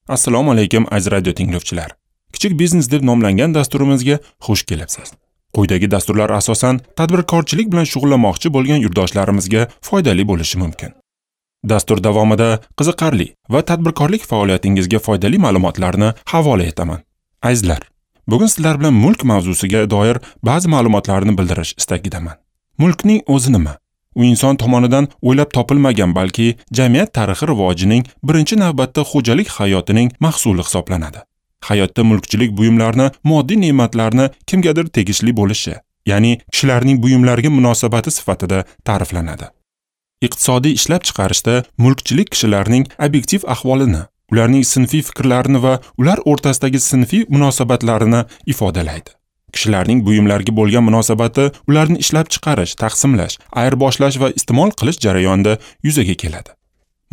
Assalomu alaykum aziz radio tinglovchilar. Kichik biznes deb nomlangan dasturimizga xush kelibsiz. Quyidagi dasturlar asosan tadbirkorchilik bilan shug'ullanmoqchi bo'lgan yurtdoshlarimizga foydali bo'lishi mumkin. Dastur davomida qiziqarli va tadbirkorlik faoliyatingizga foydali ma'lumotlarni havola etaman. Azizlar, bugun sizlar bilan mulk mavzusiga doir ba'zi ma'lumotlarni bildirish istagidaman. Mulkning o'zi nima? U inson tomonidan o'ylab topilmagan, balki jamiyat tarixi rivojining birinchi navbatda xo'jalik hayotining mahsuli hisoblanadi. Hayotda mulkchilik buyumlarni, moddiy ne'matlarni kimgadir tegishli bo'lishi, ya'ni kishilarning buyumlarga munosabati sifatida ta'riflanadi. Iqtisodiy ishlab chiqarishda mulkchilik kishilarning obyektiv ahvolini, ularning sinfiy fikrlarini va ular o'rtasidagi sinfiy munosabatlarini ifodalaydi. Kishilarning buyumlarga bo'lgan munosabati ularni ishlab chiqarish, taqsimlash, ayirboshlash va iste'mol qilish jarayonida yuzaga keladi.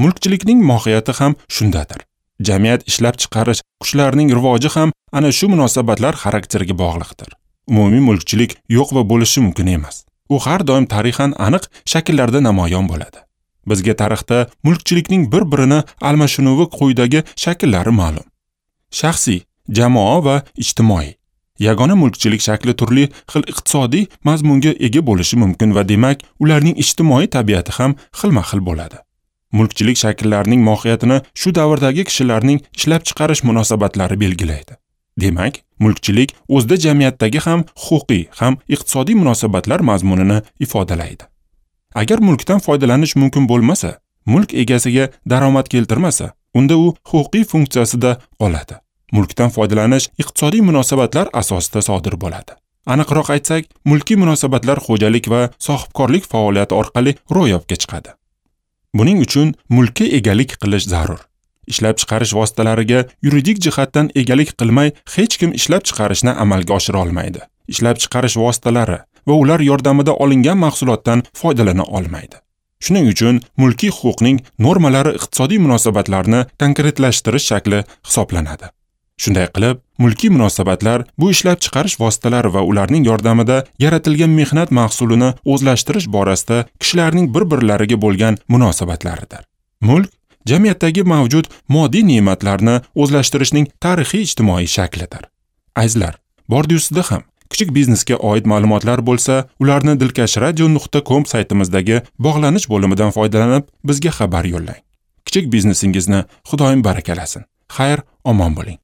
Mulkchilikning mohiyati ham shundadir. Jamiyat ishlab chiqarish kuchlarining rivoji ham ana shu munosabatlar xarakteriga bog'liqdir. Umumiy mulkchilik yo'q va bo'lishi mumkin emas. U har doim tarixan aniq shakllarda namoyon bo'ladi. Bizga tarixda mulkchilikning bir-birini almashinuvi quyidagi shakllari ma'lum. Shaxsiy, jamoa va ijtimoiy. Yagona mulkchilik shakli turli xil iqtisodiy mazmunga ega bo'lishi mumkin va demak, ularning ijtimoiy tabiati ham xilma-xil bo'ladi. Mulkchilik shakllarining mohiyatini shu davrdagi kishilarning ishlab chiqarish munosabatlari belgilaydi. Demak, mulkchilik o'zida jamiyatdagi ham huquqiy, ham iqtisodiy munosabatlar mazmunini ifodalaydi. Agar mulkdan foydalanish mumkin bo'lmasa, mulk egasiga daromad keltirmasa, unda u huquqiy funksiyasida qoladi. Mulkdan foydalanish iqtisodiy munosabatlar asosida sodir bo'ladi. Aniqroq aytsak, mulkiy munosabatlar xo'jalik va sohibkorlik faoliyati orqali ro'yobga chiqadi. Buning uchun mulkka egalik qilish zarur. Ishlab chiqarish vositalariga yuridik jihatdan egalik qilmay hech kim ishlab chiqarishni amalga oshira olmaydi. Ishlab chiqarish vositalari va ular yordamida olingan mahsulotdan foydalana olmaydi. Shuning uchun mulkiy huquqning normalari iqtisodiy munosabatlarni konkretlashtirish shakli hisoblanadi. Shunday qilib, mulkiy munosabatlar bu ishlab chiqarish vositalari va ularning yordamida yaratilgan mehnat mahsulini o'zlashtirish borasida kishilarning bir-birlariga bo'lgan munosabatlaridir. Mulk jamiyatdagi mavjud moddiy ne'matlarni o'zlashtirishning tarixiy ijtimoiy shaklidir. Azizlar, bordi-ustida ham kichik biznesga oid ma'lumotlar bo'lsa, ularni dilkashradio.com saytimizdagi bog'lanish bo'limidan foydalanib bizga xabar yo'llang. Kichik biznesingizni Xudoyim barakalasin. Xayr, omon bo'ling.